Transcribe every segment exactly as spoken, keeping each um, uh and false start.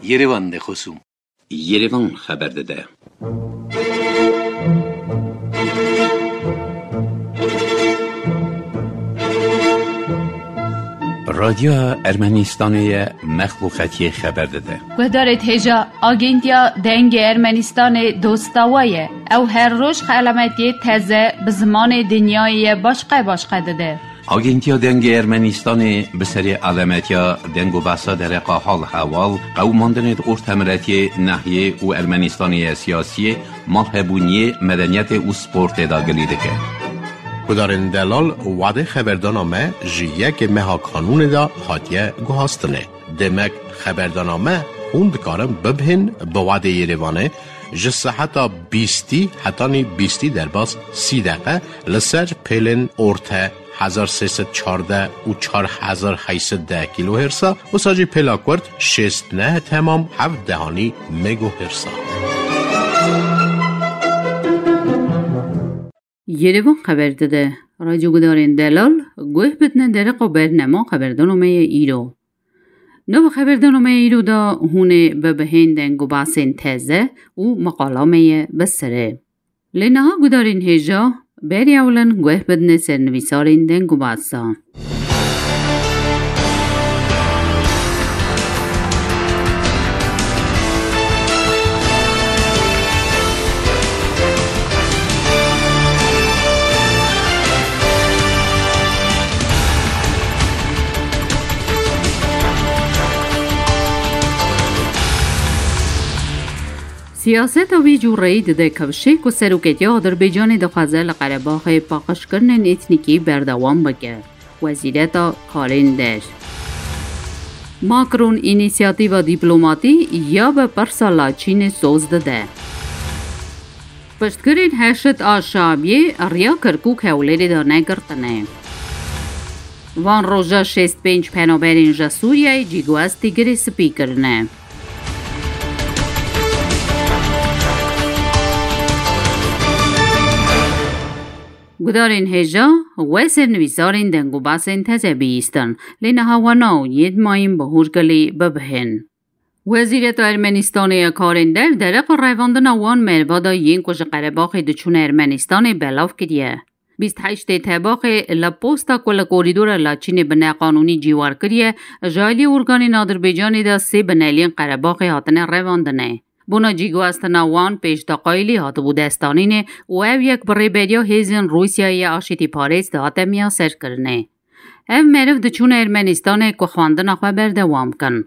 Yerevan de xosûm. Yerevan xeber dide. Radyoya Ermenistanê ye, mexluqetiyê xeber dide. Guhdarê hêja, Agentiya Dengê Ermenistanê dosta we ye. Ew her roj xelametiyê teze bi zimanê dinyayê ye başqe başqe dide. Agentiya Dengê Ermenistanê bi serê alemetiya deng û behsa dereqa hal hewal, qewimandinê di ortemiretiyê, nehiyê û Ermenistanê ye siyasiyê, malhebûniyê, medeniyetê û sportê de gilî dike. Gudarên delal, wadê xeberdana me ji yekê meha kanûnê de hatiye guhastinê. Demek xeberdana me hûn dikarin bibihên bi wadê Yerevanê ji seheta bîstî hetanî bîstî derbas sî deqe li ser pêlên orte hezar sê sed çardeh û çar hezar heyt sed deh kîlohêrsa, wisa jî pêla kurt şêst neh temam heft dehanî megohêrsa. Yerevan xeber dide. Radyo gudarên delal, guh bidine dereqa bernema xeberdana me ye îro. Nava xeberdana me ye îro de hûn ê bibihên deng û behsên teze û meqala me ye bi sirê. Lê niha gudarên hêja, berî ewlin guh bidine sernivîsarên deng û behsa. Siyaseta vî cûreyî dide kevşê ku seroketiya Adirbaycanê dixwaze li Qerebaxê paqijkirinên etnîkî berdewam bike. Wezîreta Karên Der. Macron înîsiyatîva dîplomatî ya bi pirsa Laçînê soz dide. Piştgirên Heşd a Şabiyê riya Kirkûk Hewlêrê de negirtine. Van roja şêst pênc penaberên ji Sûriyeyê cîguhestî Girê Spî kirine. Gudarên hêja, we sernivîsarên deng û behsên teze bihîstin, lê niha we naw yê di mayîn bi hûrgilî bibihên. Wezîreta Ermenistanê ya Karên Der dereqa revandina wan meriva de yên ku ji Qerebaxê diçûne Ermenistanê belav kiriye. Bîst heştê Tebaxê li posta ku li korîdora Laçînê bi neqanûnî cîwar kiriye, ji aliyê organên Adirbaycanê de sê bineliyên Qerebaxê hatine revandinê. Bona cîguhestina wan pêş deqayîlî hatibû destanînê û ev yek bi rêberiya hêzên Rûsyayê ya aşîtîparêz dihate miyaserkirinê. Ev meriv diçûne Ermenistanê ku xwendina xwe berdewam kin.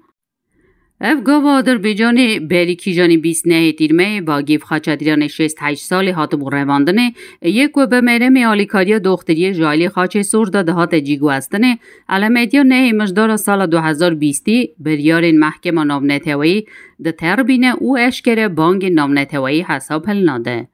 Ev gava Adirbaycanê berî kîjanî bîst nehê Tîrmeyê Bagîv Xaçatîranê şêst heşt salî hatibû revandinê, yê ku bi meremê alîkariya doxtiriyê ji alî Xaçê Sor de dihate cîguhestinê, elametiya nehê Mijdara sala du hezar bîstî biryarên Mehkema Navneteweyî diterbîne û eşkere bangên navneteweyî hesab hilnade.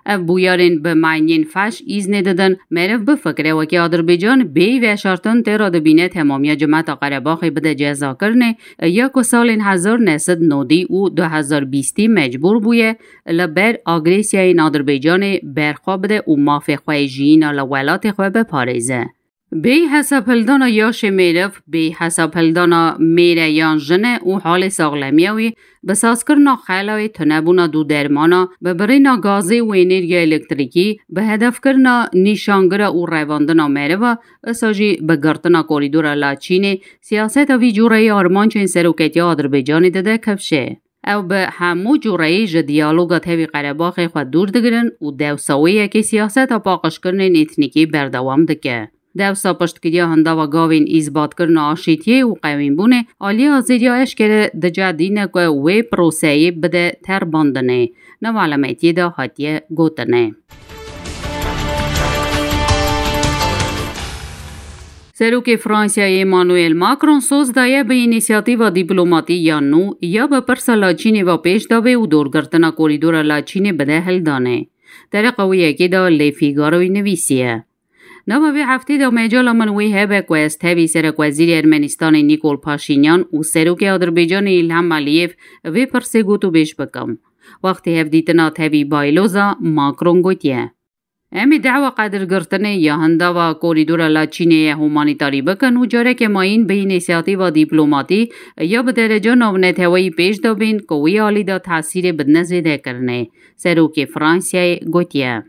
Ev bûyerên bi maniyên feş îznê didin, meriv bifikire wekî Adirbaycan bêyî veşartin tê re dibîne temamiya cimeta Qerebaxê bide cezakirinê, ya ku salên hezar neh sed nodî û du hezar bîstî mecbûr bûye li ber agresiyayên Adirbaycanê berxwe bide û mafê xwe yê jiyîna li welatê xwe biparêze. Bêyî hesabhildana yaşê mêriv, bêyî hesabhildana mêre yan jine û halê saxlemiya wî, bi sazkirina xelayê, tunebûna dû dermana, bi birîna gazê û enerjiya elektrîkî, bi hedefkirina nîşangira û revandina meriva, isa jî bi girtina korîdora Laçînê, siyaseta vî cûreyî armancên seroketiya Adirbaycanê dide kevşê. Ew bi hemû cûreyî ji diyaloga tevî Qerebaxê xwe dûr digirin û dewsa wê yekê siyaseta paqijkirinên etnîkî berdewam dike. Dewsa piştgiriya hindava gavên îzbatkirina aşîtiyê û qewînbûnê aliya Azeriya eşkere dicehdîne ku wê proseyê bide terbandinê, nava elametiyê de hatiye gotinê. Serokê Fransayê Emmanuel Macron soz daye bi înîsiyatîva dîplomatî ya nû ya bi pirsa Laçînê ve pêş de bê û dorgirtina korîdora Laçînê bide hildanê. Dereqa wê yekê de Le Figaroyê nivîsiye. Nava vê heftê de mecala min wê hebe ku ez tevî Serekwezîrê Ermenistanê Nîkol Paşînyan û Serokê Adirbaycanê Îlham Aliyev vê pirsê gotûbêj bikim. Wextê hevdîtina tevî Bayloza, Macron gotiye. Em ê dehwa qedirgirtinê ya hindava korîdora Laçînê ye humanîtarî bikin û careke mayîn bi înîsiyatîva dîplomatî ya bi dereca navneteweyî pêş de bên ku wî alî de tesîrê bidine zêdekirinê, Serokê Fransayê gotiye.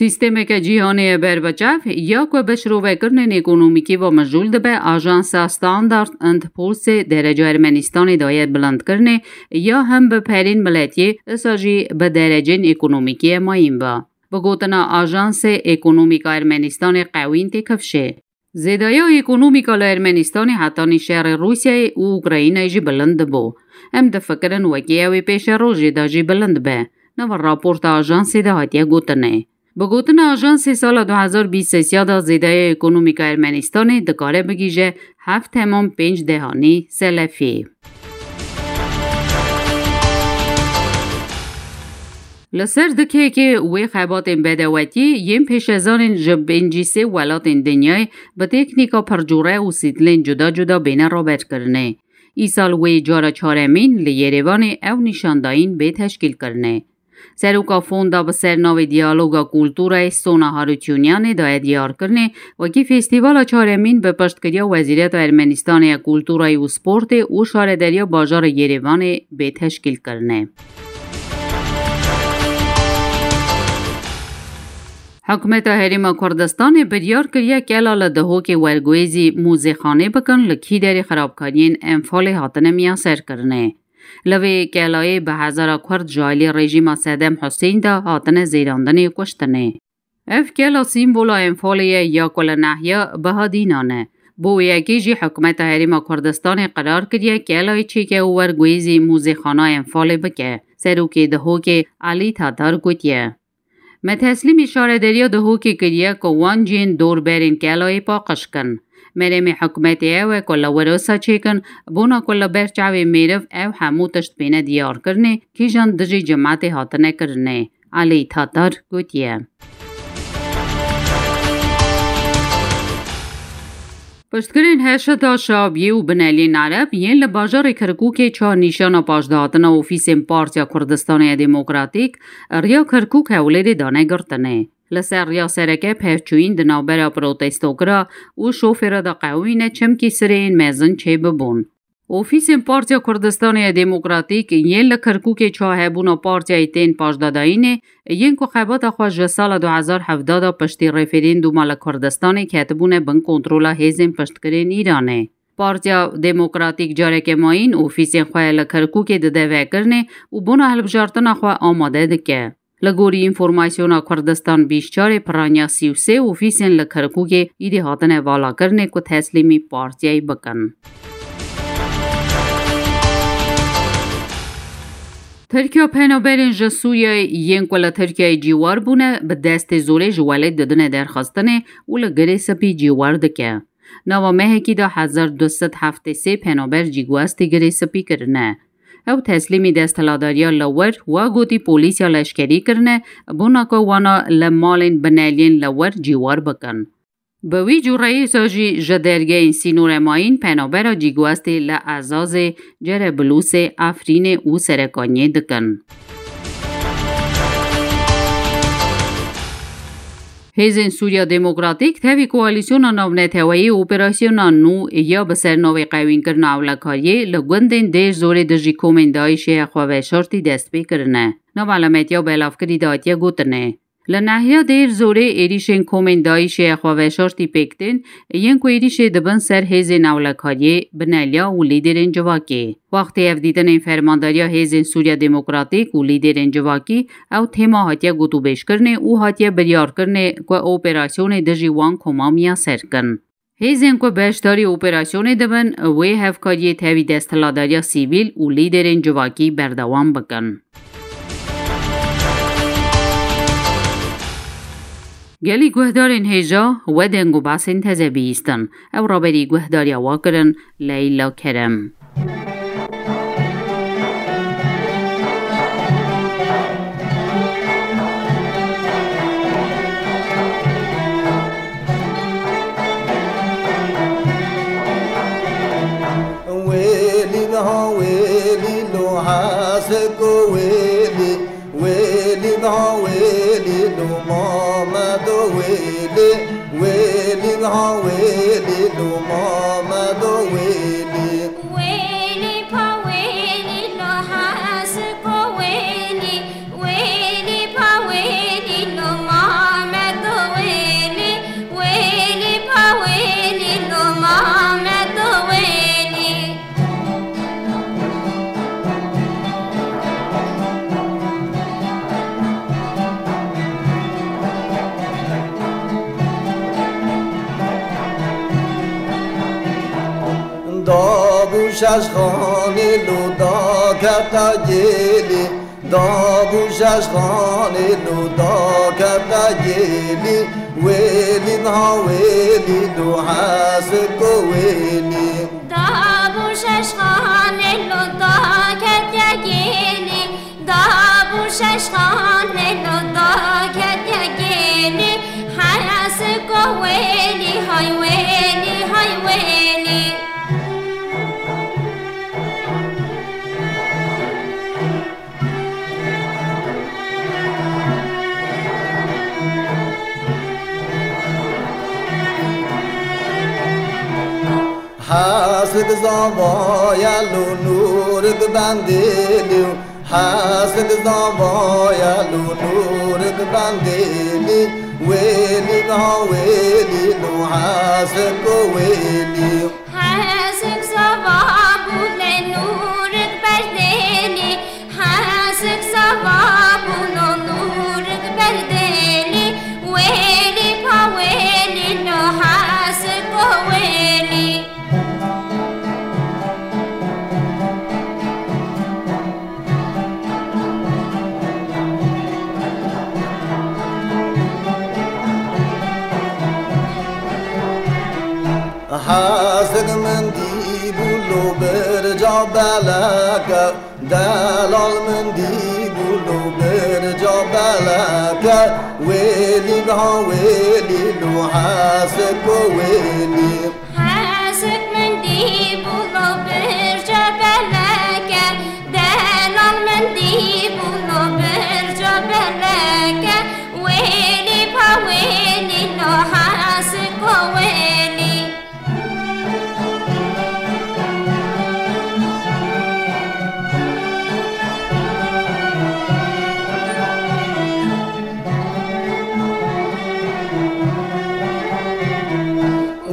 Sîstemeke cîhanê ye berbiçav, ya ku bi şirovekirinên ekonomîkî ve mijûl dibe, Ajansa Standard and Poor'sê dereca Ermenistanê daye bilindkirinê, ya him bi perên miletiyê, isa jî bi derecên ekonomîkî ye mayîn be. Bi gotina ajansê, ekonomîka Ermenistanê qewîn tê kifşê. Zêdaya ekonomîka li Ermenistanê hetanî şerê Rûsyayê û Ukraynayê jî bilind dibû. Em difikirin wekî ew ê pêşerojê de jî bilind be. Nava raporta ajansê de hatiye gotinê. Bi gotina ajansê, sala du hezar bîst sê de zêdaya ekonomîka Ermenistanê dikare bigihîje heft temam pênc dehanî selefî. Li ser dikekê wê xebatên bedewetiyê yên pêşezanên ji pêncî sê welatên dinyayê bi teknîka pircûre û stîlên cuda cuda bêne raberkirinê. Îsal wê cara çaremîn li Yerêvanê ew nîşandayîn bê teşkîlkirinê. Seroka fonda bi ser navê Diyaloga Kulturayê Sona Harutyunyanê daye diyarkirinê, wekî festîvala çaremîn bi piştgiriya Wezîreta Ermenistanê ya Kulturayê û Sportê û Şarederiya Bajarê Yerêvanê bê teşkîlkirinê. Hikûmeta Herêma Kurdistanê biryar kiriye kela li Dihokê werguhêzî mûzêxanê bikin, li kî derê xirabkariyên Enfalê hatine miyaserkirinê. Li vê kelayê bi hezara Kurd ji alî rejîma Sedem Husên de hatine zêrandinê û kuştinê. Ev kela sîmbola Enfalê ye ya ku li nahiya Bihadînan e. Bo wê yekê jî hikûmeta Herêma Kurdistanê qerar kiriye kelayê çêke û werguhêzî mûzêxana Enfalê bike. Serokê Dihokê Elî Tatar gotiye, Me teslîmî şarederiya Dihokê kiriye ku wan cihên dorberên kelayê paqij kin. Meremê hikûmetê ew e ku li wir wisa çêkin, bona ku li ber çavê mêriv ew hemû tişt bêne diyarkirinê, kîjan dijî cimetê hatine kirinê. Elî Tatar gotiye. Piştgirên Heşda Şabiyê û Bineliyên Ereb yên li bajarê Kirkûkê çar nîşana paşdahatina ofîsên Partiya Kurdistanê ya Demokratîk riya Kirkûk Hewlêrê dane girtinê. Li ser riya sereke pevçûyîn di navbera protestokira û şofêra de qewimîne, çimkî sireyên mezin çêbibûn. Ofîsên Partiya Kurdistanê ya Demokratîk yên li Kirkûkê çahebûna partiyayê tên paşdadayînê, yên ku xebata xwe ji sala du hezar hevdeh de piştî referendûma li Kurdistanê ketibûne bin kontrola hêzên piştgirên Îranê. Partiya Demokratîk careke mayîn ofîsên xwe li Kirkûkê dide vekirinê û bona hilbijartina xwe amade dike. Li gorî Înformasyona Kurdistan bîst çarê piraniya sî û sê ofîsên li Kirkûkê îdî hatine valakirinê ku teslîmî partiyayê bikin. Tirkiya penaberên ji Sûriyeyê yên ku li Tirkiyeyê cîwar bûne, bi destê zorê ji welêt didine derxistinê û li Girê Spî cîwar dike. Nava mehekî de hezar du sed heftê sê penaber cîguestî Girê Spî kirine. Ew teslîmî desthiladariya li wir, wa gotî polîsiya leşkerî kirine, bona ku wana li malên bineliyên li wir cîwar bikin. Bi wî cûreyê sa jî ji dergehên sînorê mayîn penabera cîguestê li Ezazê, Cereblûsê, Efrînê û Serekaniyê dikin. Hêzên Sûriya Demokratîk tevî koalîsyona navneteweyî operasyona nû ya bi ser navê qewînkirina ewlekariyê li gundên Dêr Zorê dijî komên DAIŞê ya xweveşartî dest pê kirine. Nav elametiya belavkirî de hatiye gotinê. Li nahiya Dêr Zorê êrîşên komên DAIŞê ya xweveşartî pêk tên, yên ku êrîşê dibin ser hêzên ewlekariyê, bineliya û lîderên civakê. Wextê hevdîtinên fermandariya Hêzên Sûriya Demokratîk û lîderên civakî, ew tema hatiye gotûbêjkirinê û hatiye biryarkirinê ku operasyonê dijî wan koma miyaser kin. Hêzên ku beşdarî operasyonê dibin, wê hevkariyê tevî desthiladariya sivîl û lîderên civakî berdewam bikin. Gelî guhdarên hêja, we deng û behsên teze bihîstin. Ew raberî guhdariya we kirin, Leyla Kerem. Wêlî niha wêlî lo heseko wê. Wêlî, wêlî, ha wêlî, lo Mamedo wêlî. Wêlî pa wêlî, lo Hesiko wêlî. Wêlî pa wêlî, lo Mamedo wêlî. Wêlî pa wêlî, lo Mamedo wêlî. Dabû şeş xanê lo daketa gêlî. Dabû şeş xanê lo daketa gêlî. Wêlî niha wêlî lo Hesiko wêlî. Dabû şeş xanê lo daketiye gêlî. Dabû şeş xanê lo daketiye gêlî. Hesiko wêlî, hay wêlî, hay wêlî. Hesik zavaya lo Nûrik bendêlî. Hesik zavaya lo Nûrik bendêlî. Wêlî niha wêlî lo Hesiko wêlî. Hesik zava bû lê Nûrik berdêlî. Hesik zava bû lo Nûrik berdêlî. Wêlî pa wêlî lo Hesiko wêlî. Hesik min dî bû lo birca beleke. Delal min dî bû lo birca beleke, wêlî niha wêlî lo Hesiko wêlî. Hesik min dî bû lo birca beleke, delal min dî bû lo birca beleke, wêlî pa wêlî lo Hesiko wêlî.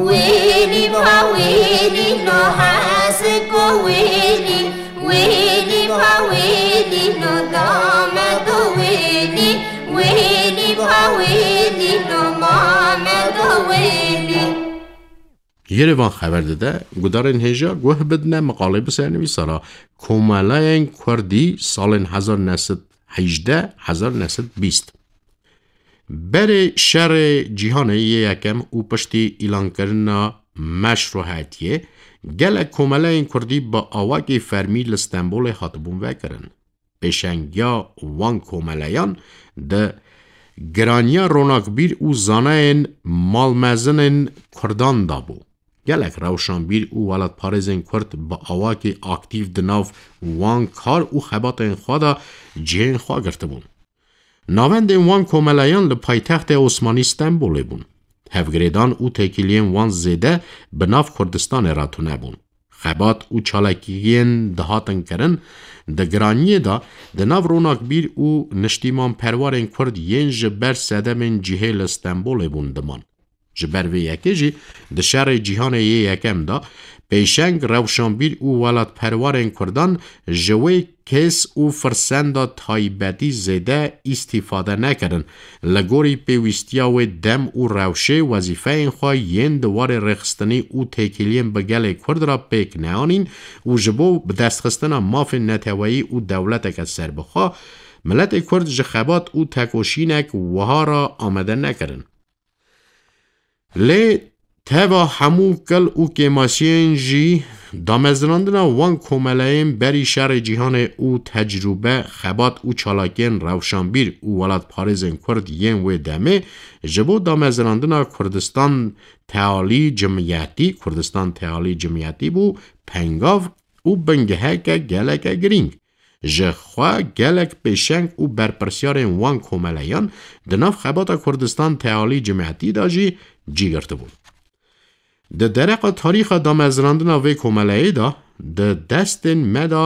Wêlî pa wêlî lo Hesiko wêlî. Wêlî pa wêlî lo Damedo wêlî. Wêlî pa wêlî lo Mamedo wêlî. Yerevan xeber dide, gudarên hêja guh bidine miqalê bi sernivîsara Komeleyên Kurdî salên hezar neh sed hejdeh, hezar neh sed bîst. Berê şerê cîhanê yê yekem û piştî îlankirina meşruhetiyê, gelek komeleyên Kurdî bi awakê fermî li Stenbolê hatibûn vekirin. Pêşengiya wan komeleyan di giraniya ronakbîr û zanayên malmezinên Kurdan de bû. Gelek rewşanbîr û welatparêzên Kurd bi awakî aktîf di nav wan kar û xebatên xwe de cihên xwe girtibûn. Navendên wan komeleyan li paytextê Osmanî Stenbolê bûn. Hevgirêdan û têkiliyên wan zêde bi nav Kurdistanê re tune bûn. Xebat û çalakiyên dihatin kirin, di giraniyê de di nav ronakbîr û niştîmanperwarên Kurd yên ji ber sedemên cihê li Stenbolê bûn diman. Ji ber vê yekê jî di şerê cîhanê yê yekem de pêşeng rewşanbîr û welatperwarên Kurdan ji wê kes û firsenda taybetî zêde îstîfade nekirin. Li gorî pêwîstiya wê dem û rewşê wezîfeyên xwe yên di warê rêxistinî û têkiliyên bi gelê Kurd re pêk neanîn û ji bo bidestxistina mafên neteweyî û dewleteke serbixwe, miletê Kurd ji xebat û tekoşînek wiha re amade nekirin. Lê teva hemû kil û kêmasiyên jî, damezrandina wan komeleyên berî şerê cîhanê û tecrûbe, xebat û çalakiyên rewşanbîr û welatparêzên Kurd yên wê demê ji bo damezrandina Kurdistan Tealî Cimiyetî, Kurdistan Tealî Cimiyetî bû pengav û bingeheke geleke girîng. Ji xwe gelek pêşeng û berpirsyarên wan komeleyan di nav xebata Kurdistan Tealî Cimiyetî de jî cî girtibûn. Di dereqa tarîxa damezrandina vê komeleyê de di destên me de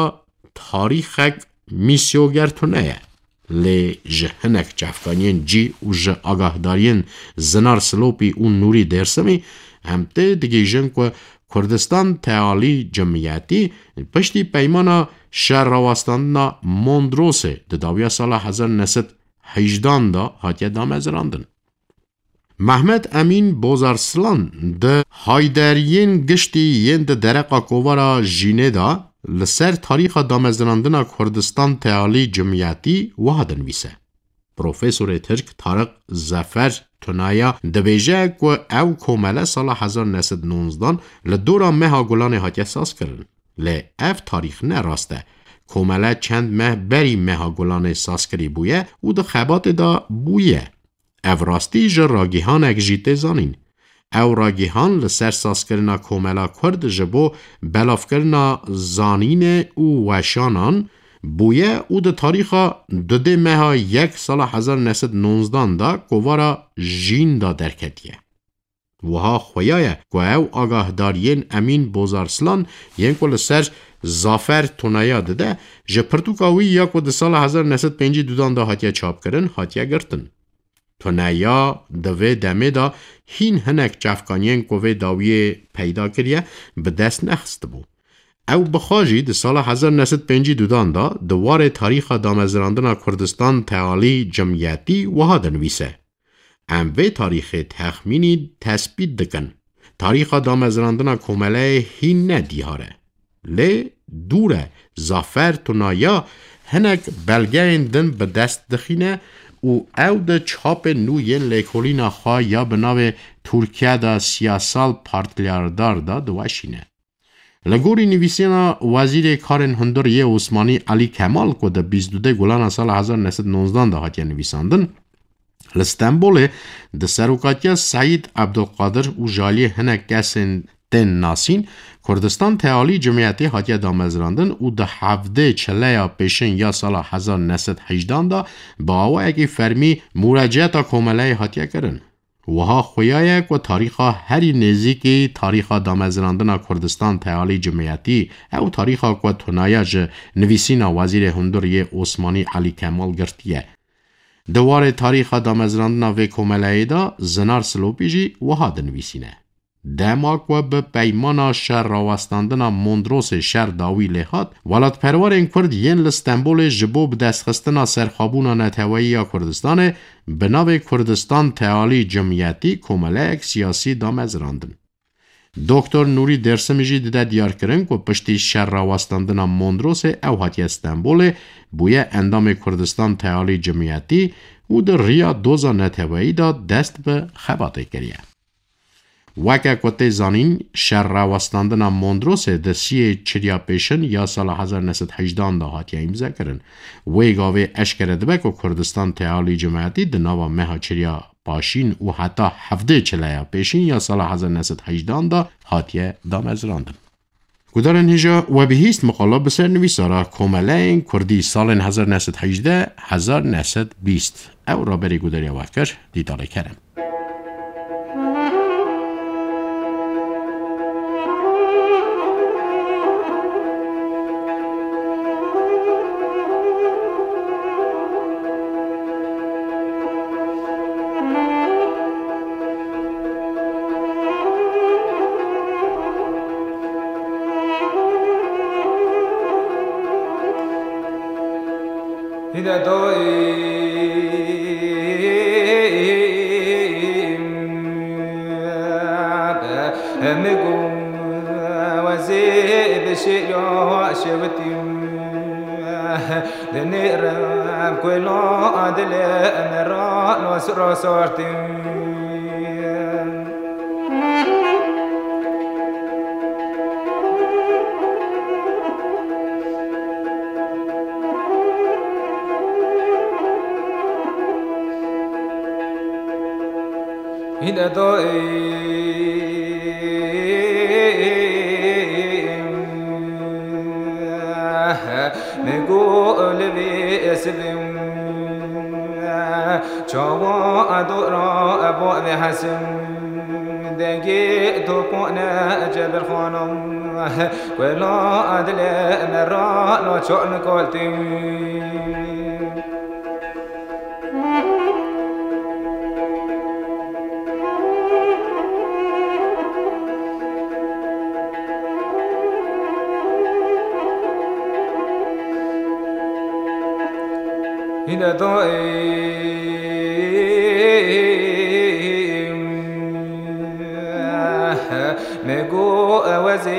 tarîxek mîsyoger tune ye. Lê ji hinek çavkaniyên cî û ji agahdariyên Zinar Silopî û Nûrî Dêrsimî em tê digihîjin ku Kurdistan Tealî Cimiyetî piştî peymana şerrawestandina Mondrosê di dawiya sala hezar neh sed hejdan de hatiye damezrandin. Mehmet Emîn Bozarslan di Hayderiyên Giştî yên di dereqa kovara Jînê de li ser tarîxa damezrandina Kurdistan Tealî Cimiyetî wiha dinivîse. Profesorê Tirk Tarık Zafer Tunaya dibêje ku ew komele sala hezar neh sed nonzdan li dora meha Gulanê hatiye sazkirin. Lê ev tarîx ne rast e. Komele çend meh berî meha Gulanê sazkirî bûye û di xebatê de bûye. Ev rastî ji ragihanek jî tê zanîn. Ew ragihan li ser sazkirina komela Kurd ji bo belavkirina zanînê û weşanan bûye û di tarîxa dudê meha yek sala hezar neh sed nonzdan de kovara Jîn de derketiye. Wiha xuya ye ku ew agahdariyên Emîn Bozarslan yên ku li ser Zafer Tunaya dide, ji pirtûka wî ya ku di sala hezar neh sed pêncî dudan de hatiye çapkirin, hatiye girtin. Tunaya di vê demê de hîn hinek çavkaniyên ku vê dawiyê peyda kiriye, bi dest nexistibû. Ew bi xwe jî di sala hezar neh sed pêncî dudan de di warê tarîxa damezrandina Kurdistan Tealî Cimiyetî wiha dinivîse: Em vê tarîxê texmînî tespît dikin. Tarîxa damezrandina komeleyê hîn ne diyar e. Lê dûr e, Zafer Tunaya hinek belgeyên din bi dest dixîne û ew di çapên nû yên lêkolîna xwe ya bi navê Tirkiye de Siyasal Partilerdir de diweşîne. Li gorî nivîsîna Wezîrê Karên Hundir yê Osmanî Elî Kemal ku di bîst û dudê Gulana sala hezar neh sed nonzdan de hatiye nivîsandin, li Stenbolê di serokatiya Seîd Ebdulqadir û ji aliyê hinek kesên tên nasîn, Kurdistan Tealî Cimiyetê hatiye damezrandin û di hevdê çileya pêşên ya sala hezar neh sed hejdan de bi awayekî fermî mûreciyeta komeleyê hatiye kirin. Wiha xuya ye ku tarîxa herî nêzîkî tarîxa damezrandina Kurdistan Tealî Cimiyetî, ew tarîxa ku Tunaya ji nivîsîna Wezîrê Hundir yê Osmanî Elî Kemal girtiye. Di warê tarîxa damezrandina vê komeleyê de Zinar Silopî jî wiha dinivîsîne: Dema ku bi peymana şer rawestandina Mondrosê şer dawî lê hat, welatperwerên Kurd yên li Stenbolê ji bo bidestxistina serxwebûna neteweyî ya Kurdistanê bi navê Kurdistan Tealî Cimiyetî komeleyek siyasî damezrandin. Doktor Nûrî Dêrsimî jî dide diyarkirin ku piştî şer rawestandina Mondrosê ew hatiye Stenbolê, bûye endamê Kurdistan Tealî Cimiyetî û di riya doza neteweyî de dest bi xebatê kiriye. Weke ku tê zanîn, şer rawestandina Mondrosê di siyê çiliya pêşin ya sala hezar neh sed hejdan de hatiye îmzekirin. Wê gavê eşkere dibe ku Kurdistan Tealî Cimiyetî di nava meha çiliya paşîn û heta hevdê çileya pêşîn ya sala hezar neh sed hejdan de hatiye damezrandin. Gudarên hêja, we bihîst miqala bi ser nivîsara Komeleyên Kurdî salên hezar neh sed hejdeh hezar neh sed bîst. Ew raberê gudariya we kir, Dîtalê Kerem. Hîne daîm be hemî gu wezê bi şêra şewitîm. Dinêrem ku la dilê me ra nas ra sartîm. Hîne daîm Min got li vê sibê çawa dora bo vê hesim, dengê topane cebirxana, wela dilê me ra naçar nikaltê. Hîne dayê me got ez ê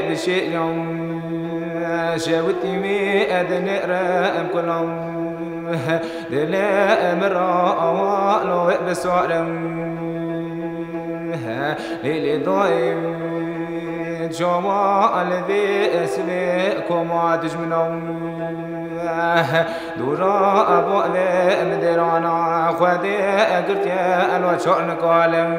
bişêriyam, şewitî wî dinêrim kulam. Dilê min ra awa lo wê bisarim. Lê lê dayê çawa li vê sibê koma dijminan. Dûra bo vê min dêrana Xwedê girtiye, elo çar nikalim.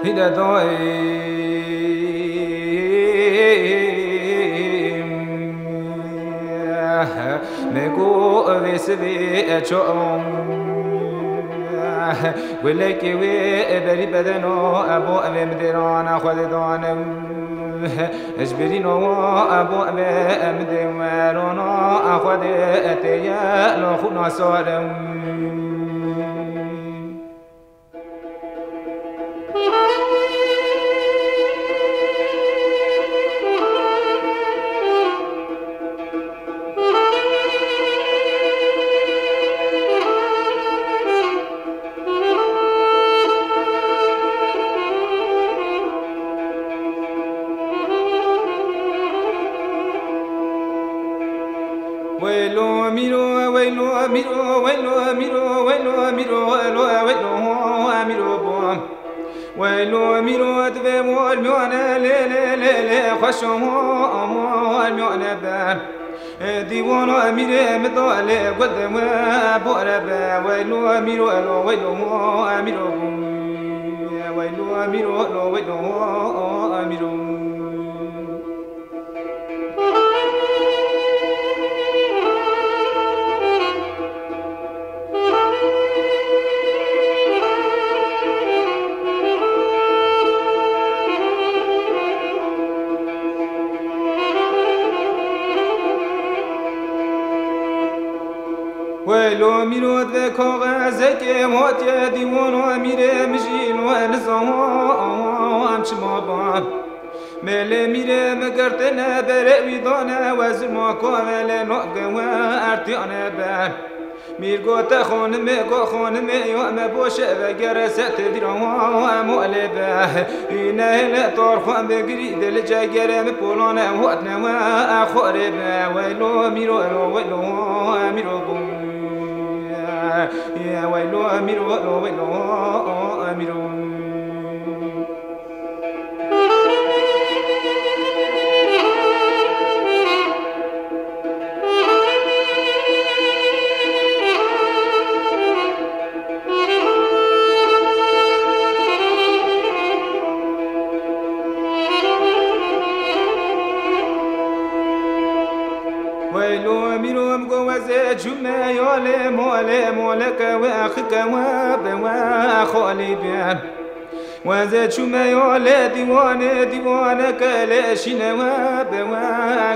Hîne dayê me got vê sibê çawa gulekê wê berî bedeno, bo evê min dêrana Xwedê danim. Ji birî nawa bo evê min dê werona Xwedê tê ye lo xwîna sarim. Weylo mîro, weylo mîro, weylo mîro, weylo mîro, weylo, weylo mîro bo. Weylo mîro divê mor miyane lê, lê, lê, lê, xweşo mor miyane be. Dîwano mîrê min do lê gul de we bore be. Weylo mîro, elo weylo mîro. Weylo mîro, elo weylo mîro. Weylo mîro, divê kaxezekê hatiye dîwano mîrê min jî lo nizam çima ba. Mêlê mîrê min girtine berê wî dane, we zilma kove lê navge we ertiyane be. Mîr gote xanimê, got xanimê ya me boşe vegere, se te dîra wa em olê be. Îne hele tor xwe bigirî, dil cegere min polane hotne we xorê be. Weylo mîro, elo weylo mîro bû. Weylo mîro, elo weylo mîro. Weylo mîro, min got wezê çûme yolê molê, moleke we axike we be we xolî be. Wezê çûme yolê dîwanê, dîwaneke lê şîne we be we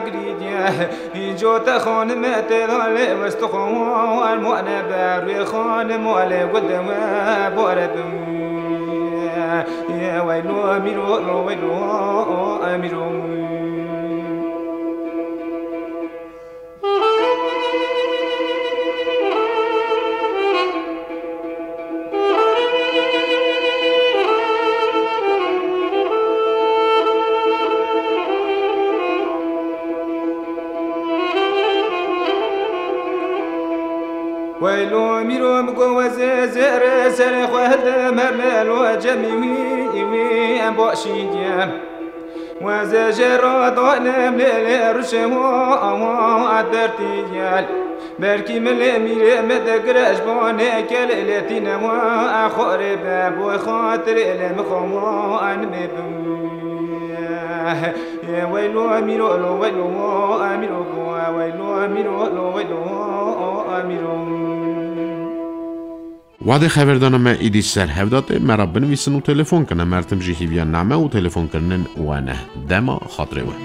girîdiye. Înco te xanime tê da lê westixo war mane be, rûyê xanimo lê gul de we bore bim. Ye weylo mîro, lo weylo mîro. Weylo mîro min go wezê zêrê serê xwe hide merne lo cemî wî wî em başî diye. Wezê jê ra danem lê lê ruşê wa awa dertî gel. Belkî min lê mîrê min digire ji bo nêkelê lê tîne wa xorê be boy xatirê lê min xwe wa nimê bim. Weylo mîro lo weylo mîro go weylo mîro lo weylo mîro. Wadê xeverdana me îdî ser hev datê, me ra binivîsin û telefon kine. Mertim jî hîviya name û telefonkirinên we ne. Dema xatirê we.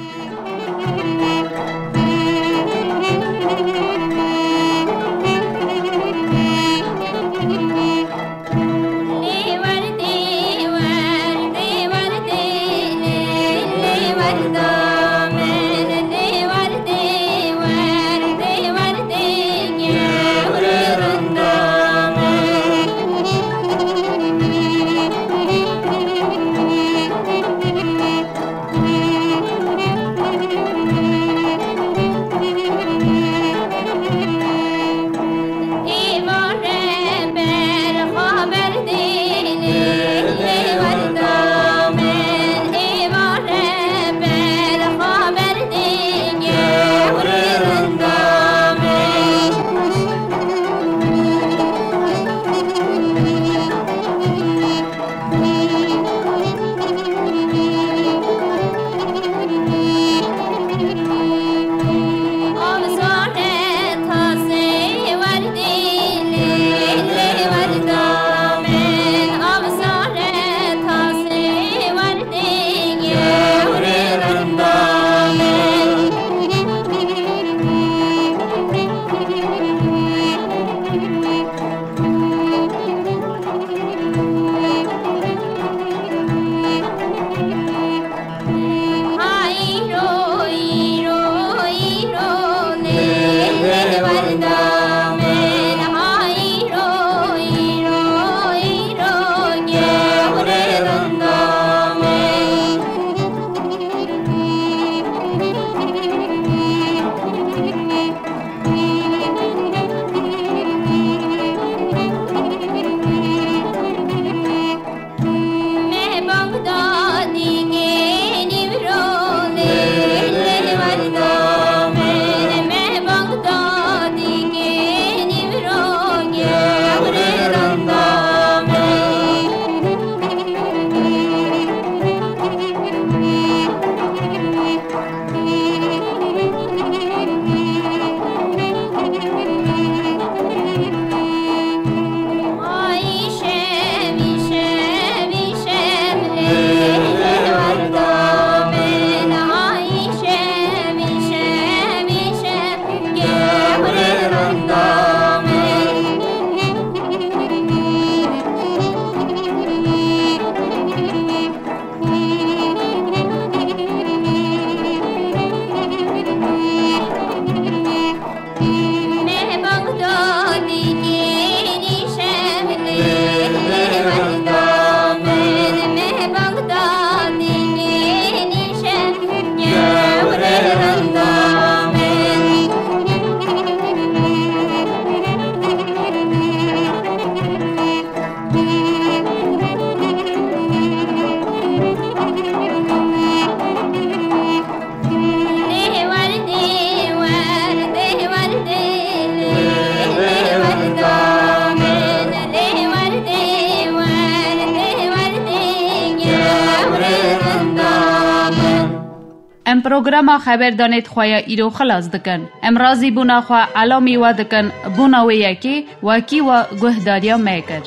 Em programa xeberdanê di xwe ya îro xilas dikin. Em razîbûna xwe elamî we dikin, bona wê yekê wekî we guhdariya me kir.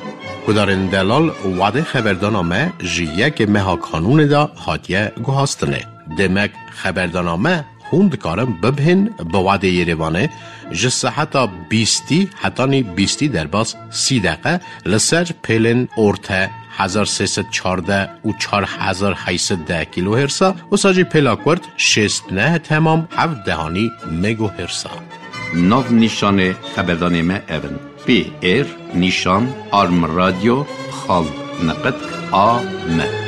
Guhdarên delal, wadê xeberdana me ji yekê meha Kanûnê de hatiye guhastinê. Demek xeberdana me hûn dikarin bibihên bi wadê Yerêvanê ji seheta bîstî hetanî bîstî derbas sî deqe li ser pêlên orte hezar sê sed çardeh û çar hezar heyt sed deh kîlohêrsa, wisa jî pêla kurt şêst neh temam heft dehanî megohêrsa. Nav nîşanê xeberdanê me ev in: P R nîşan arm radyo xal niqitk A M.